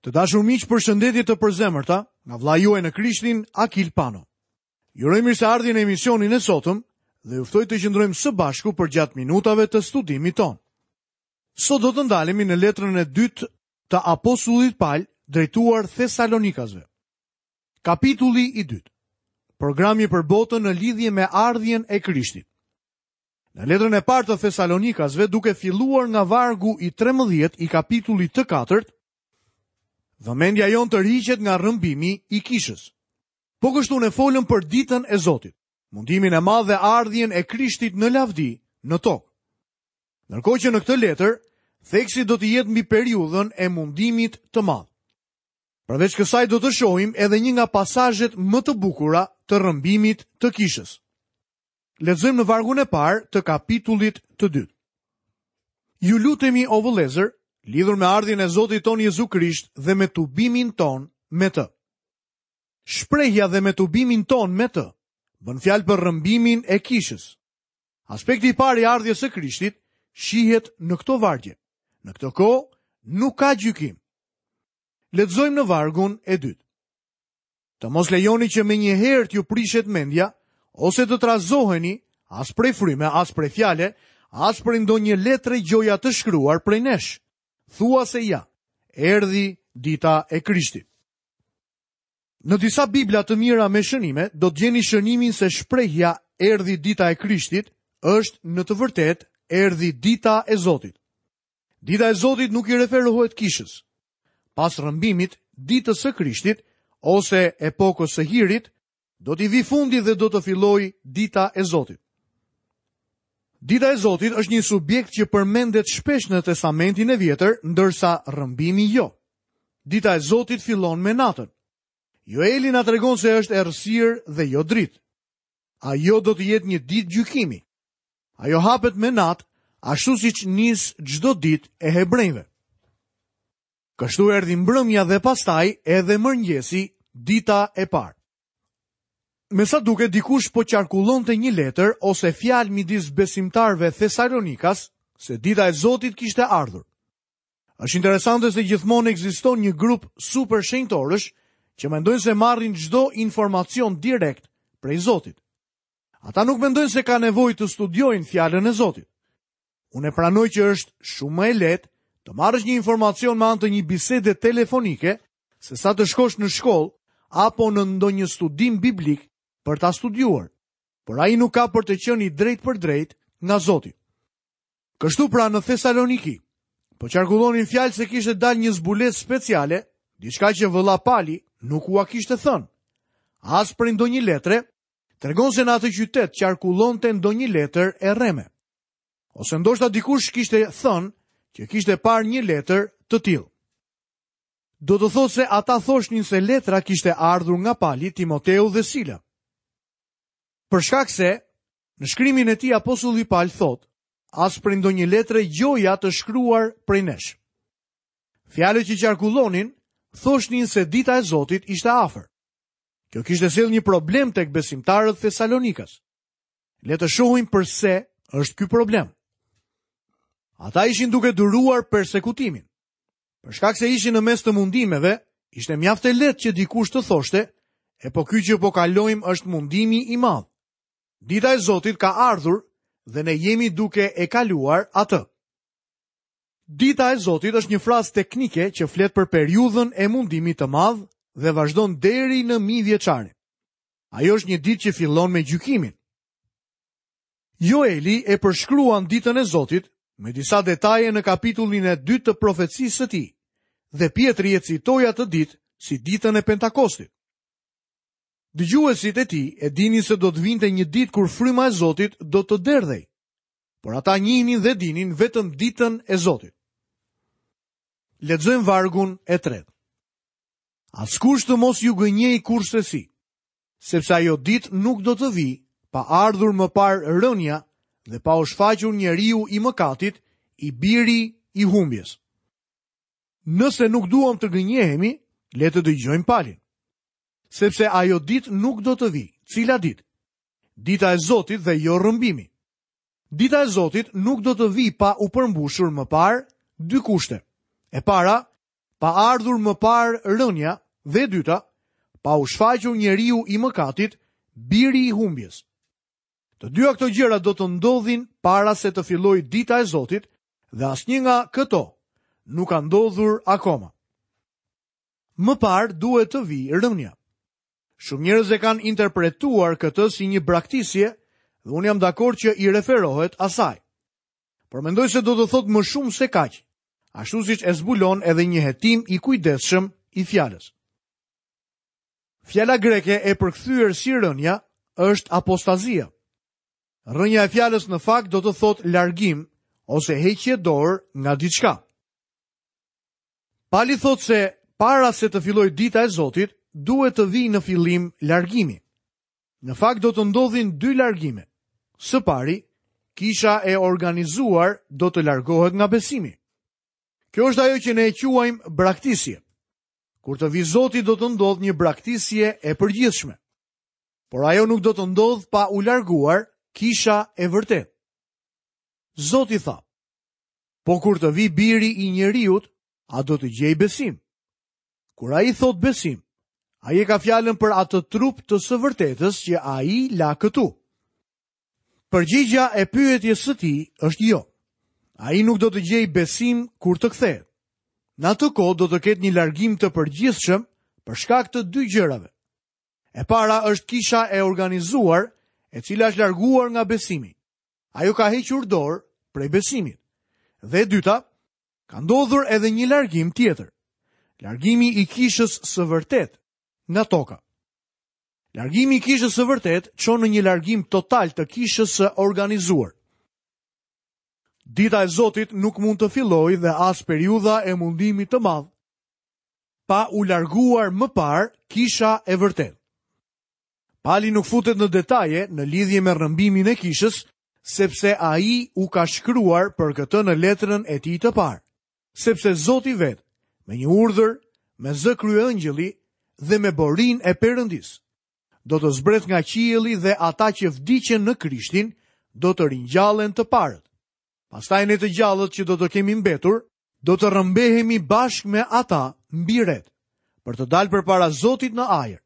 Të dashur miq, përshëndetje të përzemërta nga vëllai juaj në Krishtin, Akil Pano. Ju uroj mirëseardhje në emisionin e sotëm dhe ju ftoj të qëndrojmë së bashku përgjatë minutave të studimit tonë. Sot do të ndalemi në letrën e dytë të apostullit Pal drejtuar Thesalonikasve. Kapitulli i dytë. Programi për botën në lidhje me ardhjen e Krishtit. Në letrën e parë të Thesalonikasve, duke filluar nga vargu i 13 i kapitullit të katërt, vëmendja jonë tërhiqet nga rrëmbimi i kishës. Po kështu ne folëm për ditën e Zotit, mundimin e madh dhe ardhjen e Krishtit në lavdi në tokë. Ndërkohë që në këtë letër, theksi do të jetë mbi periudhën e mundimit të madh. Përveç kësaj do të shohim edhe një nga pasazhet më të bukura të rrëmbimit të kishës. Lexojmë në vargun e parë të kapitullit të dytë. Ju lutemi o vëllezër, lidhur me ardhjen e Zotit tonë Jezu Krisht dhe me tubimin tonë me të. Shprehja dhe me tubimin tonë me të bën fjalë për rrëmbimin e kishës. Aspekti i parë i ardhjes së Krishtit shihet në këto vargje. Në këtë kohë nuk ka gjykim. Lexojmë në vargun e dytë. Të mos lejoni që menjëherë t'ju prishet mendja, ose të trazoheni, as prej fryme, as prej fjale, as prej ndonjë letre gjoja të shkruar prej nesh. Thua se ja, erdhi dita e Krishtit. Në disa Bibla të mira me shënime, do të gjeni shënimin se shprehja erdhi dita e Krishtit është në të vërtetë erdhi dita e Zotit. Dita e Zotit nuk i referohet kishës. Pas rrëmbimit, ditës së Krishtit ose epokës së hirit, do t'i vijë fundi dhe do të fillojë dita e Zotit. Dita e Zotit është një subjekt që përmendet shpesh në Testamentin e Vjetër, ndërsa rrëmbimi jo. Dita e Zotit fillon me natën. Joeli na tregon se është errësirë dhe jo dritë. Ajo do të jetë një ditë gjykimi. Ajo hapet me natë, ashtu siç nis çdo ditë e hebrenjve. Kështu erdhi mbrëmja dhe pastaj edhe mëngjesi, dita e parë. Me sa duket dikush po qarkullonte një letër ose fjalë midis besimtarëve thesalonikas se dita e Zotit kishte ardhur. Është interesante se gjithmonë ekziston një grup super shenjtorësh që mendojnë se marrin çdo informacion direkt prej Zotit. Ata nuk mendojnë se ka nevojë të studiojnë fjalën e Zotit. Unë e pranoj që është shumë më e lehtë të marrësh një informacion me anë të një bisede telefonike se sa të shkosh në shkollë apo në ndonjë studim biblik për ta studiuar. Por ai nuk ka për të qenë i drejtpërdrejtë nga Zoti. Kështu pra në Thesaloniki, po qarkullonin fjalë se kishte dalë një zbulesë speciale, diçka që vëlla Pali nuk ua kishte thënë. As prej ndonjë letre, tregon se në atë qytet qarkullonte ndonjë letër e rreme. Ose ndoshta dikush kishte thënë që kishte parë një letër të tillë. Do të thotë se ata thoshnin se letra kishte ardhur nga Pali, Timoteu dhe Sila. Për shkak se në shkrimin e tij apostulli Pal thotë, as prej ndonjë letre gjoja të shkruar prej nesh. Fjalët që qarkullonin thoshnin se dita e Zotit ishte afër. Kjo kishte sjellë një problem tek besimtarët thesalonikas. Le të shohim përse është ky problem. Ata ishin duke duruar persekutimin. Për shkak se ishin në mes të mundimeve, ishte mjaft e lehtë që dikush të thoshte, e po ky që po kalojmë është mundimi i madh. Dita e Zotit ka ardhur dhe ne jemi duke e kaluar atë. Dita e Zotit është një frazë teknike që flet për periudhën e mundimit të madh dhe vazhdon deri në mijëvjeçarin. Ajo është një ditë që fillon me gjykimin. Joeli e përshkruan ditën e Zotit me disa detaje në kapitullin e dytë të profecisë së tij dhe Pjetri e citoi atë ditë si ditën e Pentakostit. Dëgjuesit e tij e dinin se do të vinte një ditë kur fryma e Zotit do të derdhej. Por ata njihnin dhe dinin vetëm ditën e Zotit. Lexojmë vargun e tretë. Askush të mos ju gënjejë kurrsesi, sepse ajo ditë nuk do të vijë pa ardhur më parë rënia dhe pa u shfaqur njeriu i mëkatit, i biri i humbjes. Nëse nuk duam të gënjehemi, le të dëgjojmë Palin. Sepse ajo ditë nuk do të vijë. Cila ditë? Dita e Zotit dhe jo rrëmbimi. Dita e Zotit nuk do të vijë pa u përmbushur më parë dy kushte. E para, pa ardhur më parë rënia dhe e dyta, pa u shfaqur njeriu i mëkatit, biri i humbjes. Të dyja këto gjëra do të ndodhin para se të fillojë dita e Zotit dhe asnjë nga këto nuk ka ndodhur akoma. Më parë duhet të vijë rënia. Shumë njerëz e kanë interpretuar këtë si një braktisje dhe unë jam dakord që i referohet asaj. Por mendoj se do të thotë më shumë se kaq, ashtu siç e zbulon edhe një hetim i kujdesshëm i fjalës. Fjala greke e përkthyer si rënia është apostazia. Rrënja e fjalës në fakt do të thotë largim ose heqje dorë nga diçka. Pali thotë se para se të fillojë dita e Zotit, duhet të vijë në fillim largimi. Në fakt do të ndodhin dy largime. Së pari, kisha e organizuar do të largohet nga besimi. Kjo është ajo që ne e quajmë braktisje. Kur të vijë Zoti do të ndodhë një braktisje e përgjithshme. Por ajo nuk do të ndodhë pa u larguar kisha e vërtetë. Zoti tha, po kur të vijë biri i njeriut, a do të gjejë besim? Kur ai thotë besim, ai e ka fjalën për atë trup të së vërtetës që ai la këtu. Përgjigja e pyetjes së tij është jo. Ai nuk do të gjejë besim kur të kthehet. Në atë kohë do të ketë një largim të përgjithshëm për shkak të dy gjërave. E para është kisha e organizuar, e cila është larguar nga besimi. Ajo ka hequr dorë prej besimit. Dhe e dyta, Ka ndodhur edhe një largim tjetër. Largimi i kishës së vërtetë nga toka. Largimi i kishës së vërtetë çon në një largim total të kishës së organizuar. Dita e Zotit nuk mund të fillojë dhe as periudha e mundimit të madh pa u larguar më parë kisha e vërtetë. Pali nuk futet në detaje në lidhje me rrëmbimin e kishës, sepse ai u ka shkruar për këtë në letrën e tij të parë. Sepse Zoti vetë, me një urdhër, me zë kryeëngjëlli dhe me borinë e Perëndisë, do të zbresë nga qielli dhe ata që vdiqën në Krishtin do të ringjallen të parët. Pastaj ne të gjallët që do të kemi mbetur, do të rrëmbehemi bashkë me ata mbi retë, për të dalë përpara Zotit në ajër.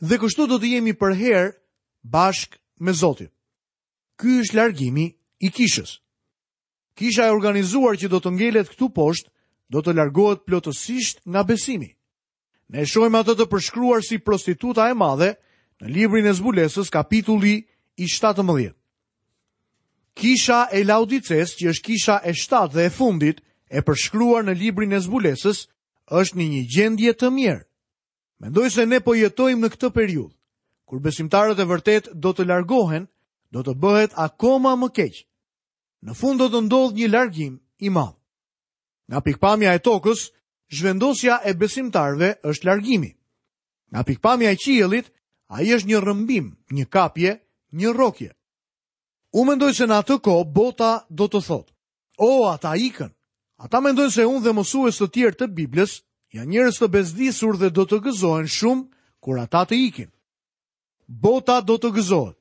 Dhe kështu do të jemi përherë bashkë me Zotin. Ky është largimi i kishës. Kisha e organizuar që do të ngelet këtu poshtë, do të largohet plotësisht nga besimi. Ne e shohim atë të përshkruar si prostituta e madhe në librin e zbulesës kapitulli i 17. Kisha e Laodicesë, që është kisha e 7 dhe e fundit e përshkruar në librin e zbulesës, është në një gjendje të mjerë. Mendoj se ne po jetojmë në këtë periudhë. Kur besimtarët e vërtetë do të largohen, do të bëhet akoma më keq. Në fund do të ndodhë një largim i madh. Nga pikëpamja e tokës, zhvendosja e besimtarëve është largimi. Nga pikëpamja e qiellit, ai është një rrëmbim, një kapje, një rrokje. Unë mendoj se në atë kohë bota do të thotë, O, ata ikën. Ata mendojnë se unë dhe mësues të tjerë të Biblës janë njerëz të bezdisur dhe do të gëzohen shumë kur ata të ikin. Bota do të gëzohet.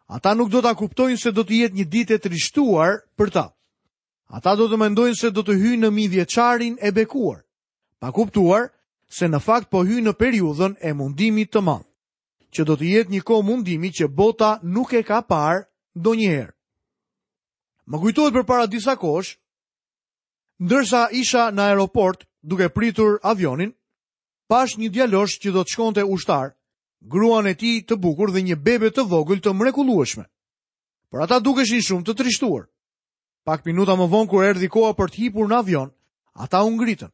Ata nuk do ta kuptojnë se do të jetë një ditë e trishtuar për ta. Ata do të mendojnë se do të hyjnë në mijëvjeçarin e bekuar, pa kuptuar se në fakt po hyjnë në periudhën e mundimit të madh, që do të jetë një kohë mundimi që bota nuk e ka parë ndonjëherë. Më kujtohet përpara disa kohësh, ndërsa isha në aeroport duke pritur avionin, pashë një djalosh që do të shkonte ushtar, gruan e tij të bukur dhe një bebe të vogël të mrekullueshme. Por ata dukeshin shumë të trishtuar. Pak minuta më vonë kur erdhi koha për të hipur në avion, ata u ngritën.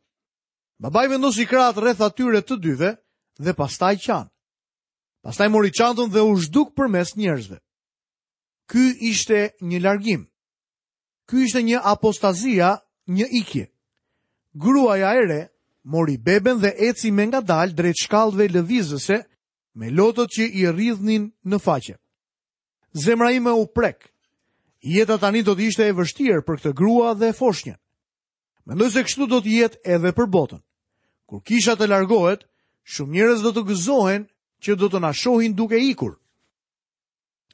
Babai vendosi krahët rreth atyre të dyve dhe pastaj qanë. Pastaj mori çantën dhe u zhduk përmes njerëzve. Ky ishte një largim. Ky ishte një apostazia, një ikje. Gruaja e re mori beben dhe eci me ngadalë drejt shkallëve lëvizëse me lotët që i rridhnin në faqe. Zemra ime u prek. Jeta tani do të ishte e vështirë për këtë grua dhe foshnjën. Mendoj se kështu do të jetë edhe për botën. Kur kisha të largohet, shumë njerëz do të gëzohen që do të na shohin duke ikur.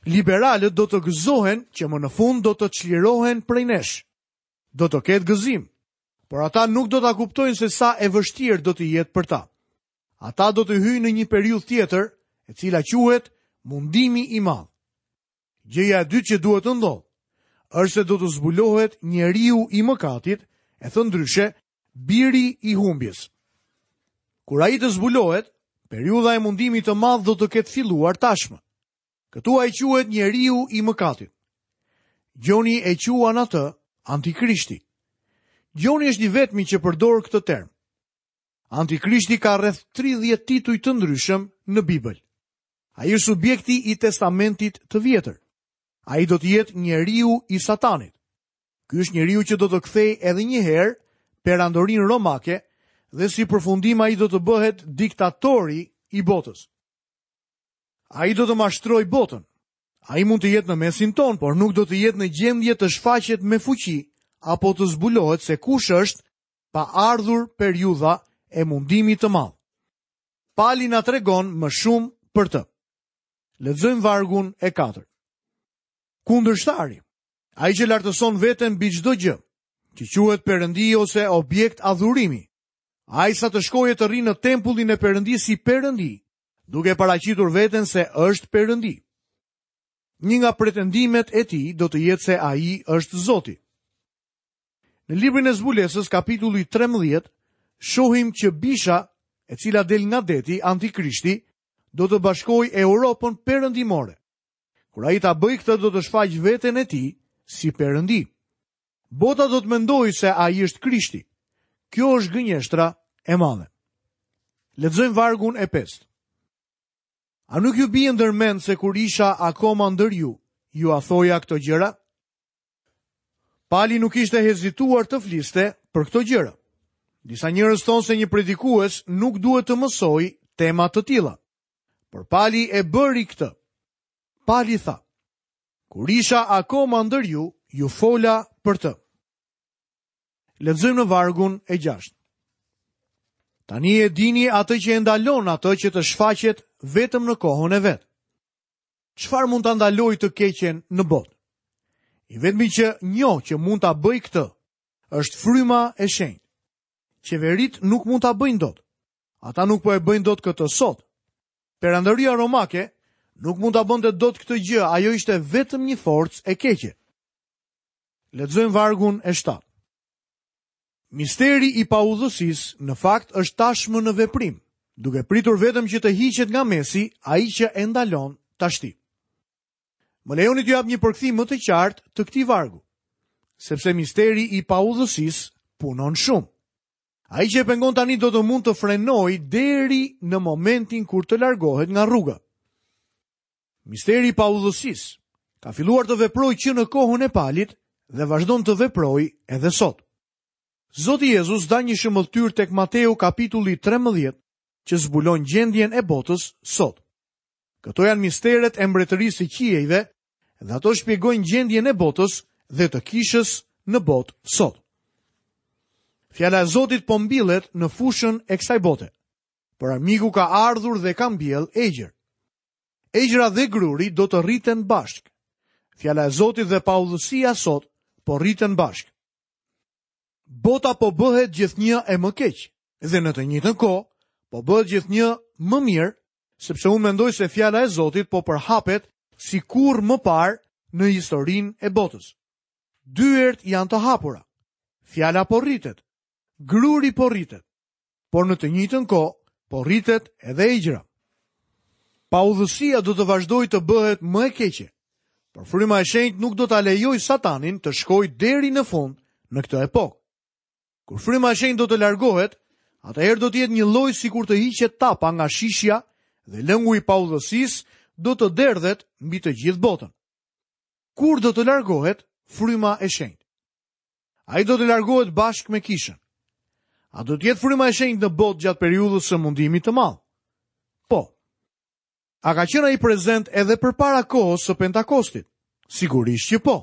Liberalët do të gëzohen që më në fund do të çlirohen prej nesh. Do të ketë gëzim. Por ata nuk do ta kuptojnë se sa e vështirë do të jetë për ta. Ata do të hyjnë në një periudhë tjetër, e cila quhet mundimi i madh. Gjëja e dytë që duhet të ndodhë, është se do të zbulohet njeriu i mëkatit, e thënë ndryshe, biri i humbjes. Kur ai të zbulohet, periudha e mundimit të madh do të ketë filluar tashmë. Këtu ai quhet njeriu i mëkatit. Gjoni e quan atë antikrishti. Gjoni është i vetmi që përdor këtë term. Antikrishti ka rreth 30 tituj të ndryshëm në Bibël. Ai është subjekti i Testamentit të Vjetër. Ai do të jetë njeriu i Satanit. Ky është njeriu që do të kthejë edhe një herë perandorinë romake dhe si përfundim ai do të bëhet diktatori i botës. Ai do të mashtrojë botën. Ai mund të jetë në mesin tonë, por nuk do të jetë në gjendje të shfaqet me fuqi apo të zbulohet se kush është pa ardhur periudha e mundimit të madh. Pali na tregon më shumë për të. Lexojmë vargun e 4. Kundërshtari, ai që lartëson veten mbi çdo gjë, që quhet perëndi ose objekt adhurimi, ai sa të shkojë të rrijë në tempullin e perëndisë si perëndi, duke paraqitur veten se është perëndi. Një nga pretendimet e tij do të jetë se ai është Zoti. Në librin e Zbulesës, kapitulli 13, shohim që bisha, e cila del nga deti, antikrishti, do të bashkojë Europën perëndimore. Kur ai ta bëjë këtë, do të shfaqë veten e tij si perëndi. Bota do të mendojë se ai është Krishti. Kjo është gënjeshtra e madhe. Lexojmë vargun e pestë. A nuk ju bie ndër mend se kur isha akoma ndër ju, jua thoja këto gjëra? Pali nuk kishte hezituar të fliste për këto gjëra. Disa njerëz thonë se një predikues nuk duhet të mësojë tema të tilla. Por Pali e bëri këtë. Pali tha: Kur isha akoma ndër ju, ju fola për të. Lexojmë në vargun e 6. Tani e dini atë që e ndalon atë që të shfaqet vetëm në kohën e vet. Çfarë mund ta ndalojë të keqen në botë? I vetmi që njoh që mund ta bëjë këtë është fryma e shenjtë. Qeveritë nuk mund ta bëjnë dot. Ata nuk po e bëjnë dot këtë sot. Perandoria romake nuk mund ta bënte dot këtë gjë, ajo ishte vetëm një forcë e keqe. Lexojmë vargun e 7. Misteri i paudhësisë në fakt është tashmë në veprim, duke pritur vetëm që të hiqet nga mesi ai që e ndalon tashti. Më lejoni t'ju jap një përkthim më të qartë të këtij vargu, sepse misteri i paudhësisë punon shumë. Ai që e pengon tani do të mund të frenojë deri në momentin kur të largohet nga rruga. Misteri i paudhësisë ka filluar të veprojë që në kohën e Palit dhe vazhdon të veprojë edhe sot. Zoti Jezus dha një shëmbëlltyrë tek Mateu kapitulli 13 që zbulon gjendjen e botës sot. Këto janë misteret e mbretërisë së qiejve dhe ato shpjegojnë gjendjen e botës dhe të kishës në botë sot. Fjala e Zotit po mbillet në fushën e kësaj bote. Por armiku ka ardhur dhe ka mbjellë egjër. Egjra dhe gruri do të rriten bashkë. Fjala e Zotit dhe paudhësia sot po rriten bashkë. Bota po bëhet gjithnjë e më keq dhe në të njëjtën kohë po bëhet gjithnjë më mirë, sepse unë mendoj se fjala e Zotit po përhapet si kurrë më parë në historinë e botës. Dyert janë të hapura. Fjala po rritet. Gruri po rritet. por në të njëjtën kohë po rritet edhe egjra. Paudhësia do të vazhdojë të bëhet më e keqe, por fryma e shenjtë nuk do ta lejojë Satanin të shkojë deri në fund në këtë epokë. Kur fryma e shenjtë do të largohet, atëherë do të jetë njëlloj sikur të hiqet tapa nga shishja dhe lëngu i paudhësisë do të derdhet mbi të gjithë botën. Kur do të largohet fryma e shenjtë? Ai do të largohet bashkë me kishën. A do të jetë fryma e shenjtë në botë gjatë periudhës së mundimit të madh? Po. A ka qenë ai prezent edhe përpara kohës së Pentakostit? Sigurisht që po.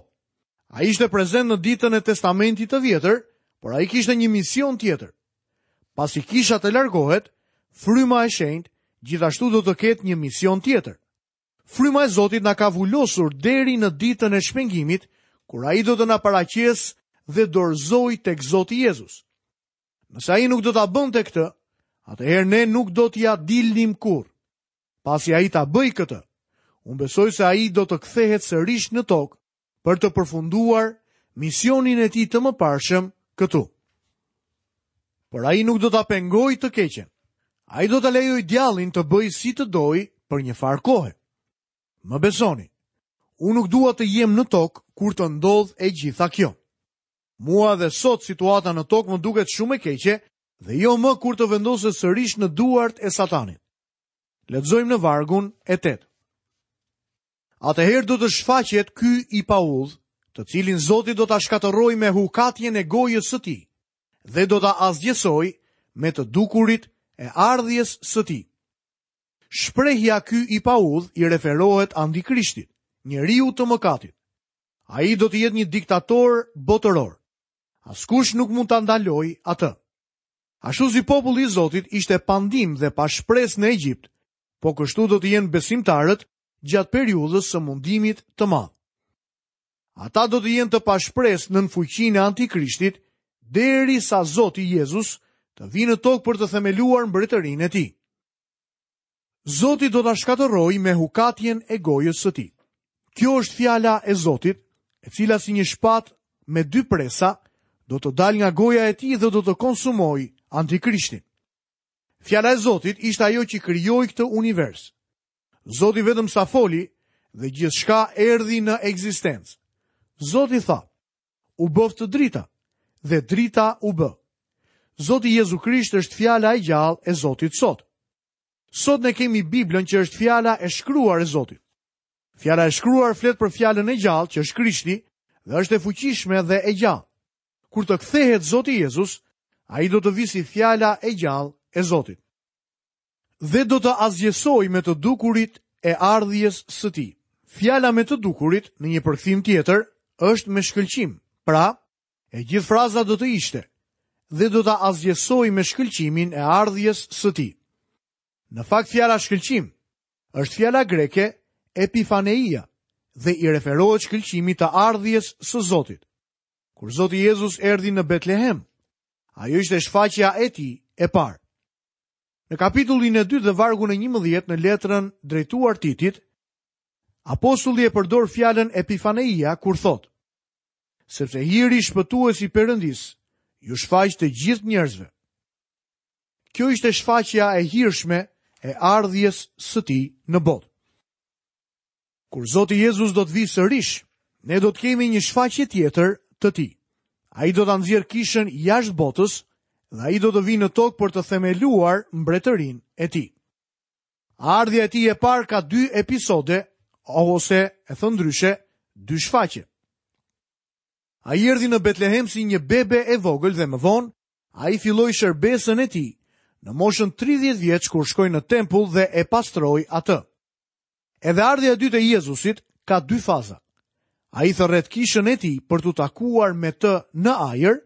Ai ishte prezent në ditën e Testamentit të Vjetër, por ai kishte një mision tjetër. Pasi kisha të largohet, fryma e shenjtë gjithashtu do të ketë një mision tjetër. Fryma e Zotit na ka vulosur deri në ditën e shpengimit, kur ai do të na paraqesë dhe dorëzojë tek Zoti Jezus. Nëse ai nuk do ta bënte këtë, atëherë ne nuk do t'ia dilnim kurrë. Pasi ai ta bëjë këtë, unë besoj se ai do të kthehet sërish në tokë për të përfunduar misionin e tij të mëparshëm këtu. Por ai nuk do ta pengojë të keqen. Ai do ta lejojë djallin të bëjë si të dojë për një farë kohe. Më besoni, unë nuk dua të jem në tokë kur të ndodhë e gjitha kjo. Mua dhe sot situata në tokë më duket shumë e keqe dhe jo më kur të vendoset sërish në duart e satanit. Lexojmë në vargun e 8. Atëherë do të shfaqet ky i paudhë, të cilin Zoti do ta shkatërrojë me hukatjen e gojës së tij dhe do ta asgjësojë me të dukurit e ardhjes së tij. Shprehja ky i paudhë i referohet antikrishtit, njeriut të mëkatit. Ai do të jetë një diktator botëror. Askush nuk mund ta ndalojë atë. Ashtu si populli i Zotit ishte pa ndihmë dhe pa shpresë në Egjipt, po kështu do të jenë besimtarët gjatë periudhës së mundimit të madh. Ata do të jenë të pashpresë nën fuqinë e antikrishtit derisa Zoti Jezus të vijë në tokë për të themeluar mbretërinë e tij. Zoti do ta shkatërrojë me hukatjen e gojës së tij. Kjo është fjala e Zotit, e cila si një shpatë me dy presa do të dalë nga goja e tij dhe do të konsumojë antikrishtin. Fjala e Zotit ishte ajo që krijoi këtë univers. Zoti vetëm sa foli dhe gjithçka erdhi në ekzistencë. Zoti tha, u bëftë drita dhe drita u bë. Zoti Jezu Krisht është fjala e gjallë e Zotit sot. Sot ne kemi Biblën që është fjala e shkruar e Zotit. Fjala e shkruar flet për fjalën e gjallë që është Krishti dhe është e fuqishme dhe e gjallë. Kur të kthehet Zoti Jezus, ai do të vijë si fjala e gjallë e Zotit. Dhe do të asgjësojë me të dukurit e ardhjes së tij. Fjala me të dukurit në një përkthim tjetër është me shkëlqim. Pra, e gjithë fraza do të ishte dhe do ta asgjësojë me shkëlqimin e ardhjes së tij. Në fakt fjala shkëlqim është fjala greke epifaneia dhe i referohet shkëlqimit të ardhjes së Zotit. Kur Zoti Jezus erdhi në Betlehem, ajo ishte shfaqja e tij e parë. Në kapitullin e dytë dhe vargun e 11 në letrën drejtuar Titit, apostulli e përdor fjalën epifaneia kur thotë: Sepse hiri shpëtues i Perëndisë iu shfaq të gjithë njerëzve. Kjo ishte shfaqja e hirshme e ardhjes së tij në botë. Kur Zoti Jezus do të vijë sërish, ne do të kemi një shfaqje tjetër të tij. Ai do ta nxjerrë kishën jashtë botës dhe ai do të vijë në tokë për të themeluar mbretërinë e tij. Ardhja e tij e parë ka dy episode ose e thënë ndryshe, dy shfaqje. Ai erdhi në Betlehem si një bebe e vogël dhe më vonë ai filloi shërbesën e tij në moshën 30 vjeç kur shkoi në tempull dhe e pastroi atë. Edhe ardhja e dytë e Jezusit ka dy faza. Ai thërret kishën e tij për t'u takuar me të në ajër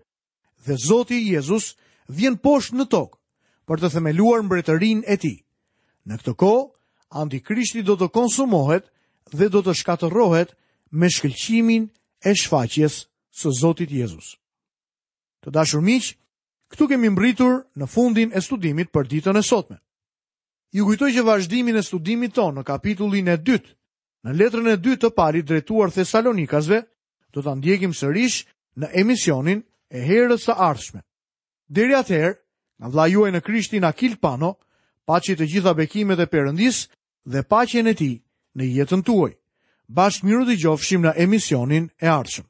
dhe Zoti Jezus vjen poshtë në tokë për të themeluar mbretërinë e tij. Në këtë kohë, antikrishti do të konsumohet dhe do të shkatërrohet me shkëlqimin e shfaqjes së Zotit Jezus. Të dashur miq, këtu kemi mbërritur në fundin e studimit për ditën e sotme. Ju kujtoj që vazhdimin e studimit tonë në kapitullin e dytë, në letrën e dytë të Palit drejtuar Thesalonikasve, do ta ndjekim sërish në emisionin e herës së ardhshme. Deri atëherë, nga vëllai juaj në Krishtin Akil Pano, paçi të gjitha bekimet e Perëndisë dhe paqen e tij në jetën tuaj. Bashkë mirudëgjofshim në emisionin e ardhshëm.